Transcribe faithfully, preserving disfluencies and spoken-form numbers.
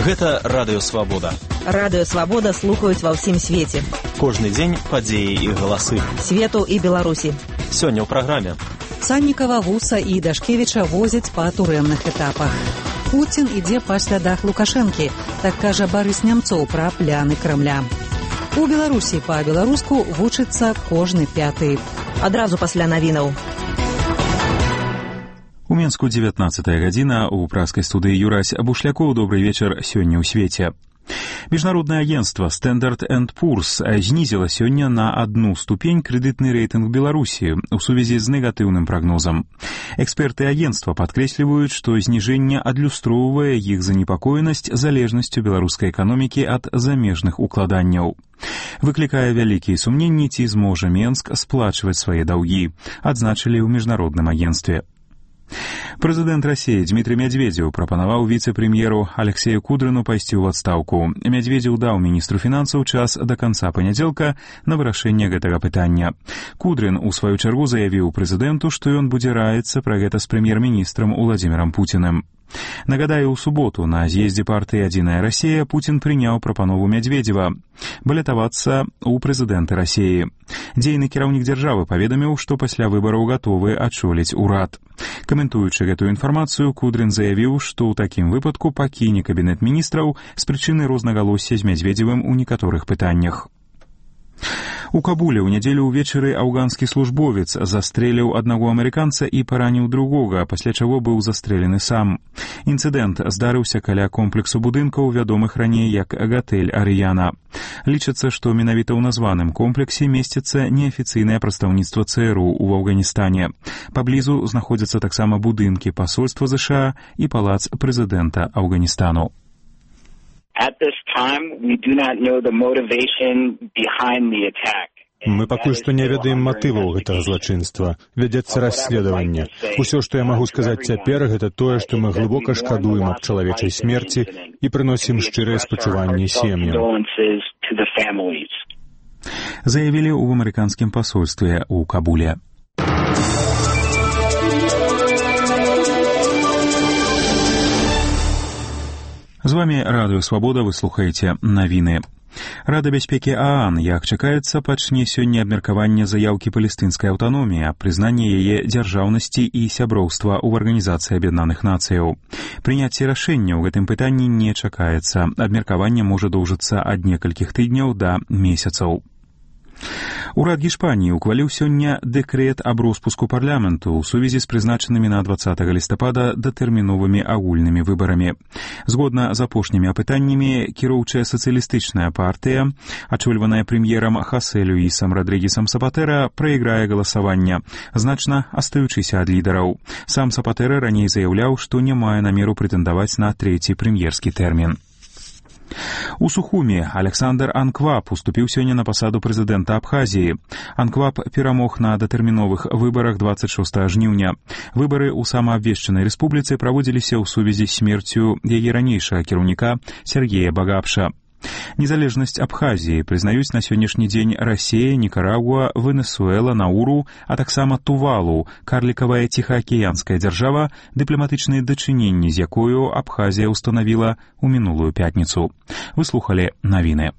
Гэта Радыё Свабода. Радыё Свабода слухаюць ва ўсім свеце. Кожны дзень падзеі і галасы. Свету і Беларусі. Сёння ў праграме. Саннікава, Гуса і Дашкевіча возяць па турэмных этапах. Пуцін ідзе па слядах Лукашэнкі, так кажа Барыс Нямцоў пра пляны Крамля. У Беларусі па-беларуску вучыцца кожны пяты. Адразу пасля навінаў. У Менску дзевятнаццатая гадзіна, у праскай студыі Юрась Бушлякоў. Добры вечар сёння ў свеце. Міжнароднае агенцтва Standard энд Poor's знізіла сёння на адну ступень крэдытны рэйтынг Беларусі ў сувязі з негатыўным прагнозам. Эксперты агенцтва падкрэсліваюць, што зніжэнне адлюстроўвае іх занепакоенасць залежнасцю беларускай эканомікі ад замежных укладанняў. Выклікае вялікія сумненні, ці зможа Менск сплачваць свае даўгі, адзначылі ў міжнародным агенцтве. Прэзідэнт Расіі Дмітрый Мядзведзеў прапанаваў віцэ-прэм'еру Алексею Кудрыну пайсці ў адстаўку. Мядзведзеў даў міністру фінансаў час да канца панядзелка на вырашэнне гэтага пытання. Кудрын у сваю чаргу заявіў прэзідэнту, што ён будзе раіцца пра гэта з прэм'ер-міністрам Уладзімірам Пуціным. Нагадаю, у суботу на з'ездзе партыі «Адзіная Расія» Пуцін прыняў прапанову Мядзведзева балятавацца ў прэзідэнты Расіі. Дзейны кіраўнік дзяржавы паведаміў, што пасля выбараў гатовы ачоліць урад. Каментуючы гэтую інфармацыю, Кудрын заявіў, што ў такім выпадку пакіне кабінет міністраў з прычыны рознагалосся з Мядзведзевым у некаторых пытаннях. У Кабуле ў нядзелю ўвечары афганскі службовец застрэліў аднаго амерыканца і параніў другога, пасля чаго быў застрэлены сам. Інцыдэнт здарыўся каля комплексу будынкаў, вядомых раней як гатэль «Арыяна». Лічыцца, што менавіта ў названым комплексе месціцца неафіцыйнае прадстаўніцтва ЦРУ ў Афганістане. Паблізу знаходзяцца таксама будынкі пасольства ЗША і палац прэзідэнта Афганістану. At this time, we do not know the motivation behind the attack. Мы пакуль што не ведаем матываў гэтага злачынства. Вядзецца расследаванне. Усё, што я магу сказаць цяпер, гэта тое, што мы глыбока шкадуем аб чалавечай смерці і прыносім шчырыя спачуванні сем'ям. Заявілі ў амерыканскім пасольстве ў Кабуле. З вамі Радыё Свабода, вы слухаеце навіны. Рада бяспекі ААН, як чакаецца, пачне сёння абмеркаванне заяўкі палестынскай аўтаноміі аб прызнанні яе дзяржаўнасці і сяброўства ў Арганізацыі Аб'яднаных Нацыяў. Прыняцце рашэння ў гэтым пытанні не чакаецца. Абмеркаванне можа доўжыцца ад некалькіх тыдняў да месяцаў. Урад Гішпаніі ухваліў сёння дэкрэт аб роспуску парламенту ў сувязі з прызначанымі на дваццатага лістапада датэрміновымі агульнымі выбарамі. Згодна з апошнімі апытаннямі, кіроўчая сацыялістычная партыя, ачольваная прэм'ерам Хасе Люісам Радрыгесам Сапатэра, прайграе галасаванне, значна астаючыся ад лідараў. Сам Сапатэра раней заяўляў, што не мае намеру прэтэндаваць на трэці прэм'ерскі тэрмін. У Сухуме Александр Анкваб уступіў сёння на пасаду прэзідэнта Абхазіі. Анкваб перамог на датэрміновых выбарах дваццаць шостага жніўня. Выбары ў самаабвешчанай рэспубліцы праводзіліся ў сувязі з смерцю яе ранейшага кіраўніка Сергея Багапша. Незалежнасць Абхазіі прызнаюць на сённяшні дзень Расія, Нікарагуа, Венесуэла, Науру, а таксама Тувалу, карлікавая ціхаакіянская дзяржава, дыпламатычныя дачыненні з якою Абхазія ўстанавіла ў мінулую пятніцу. Вы слухалі навіны.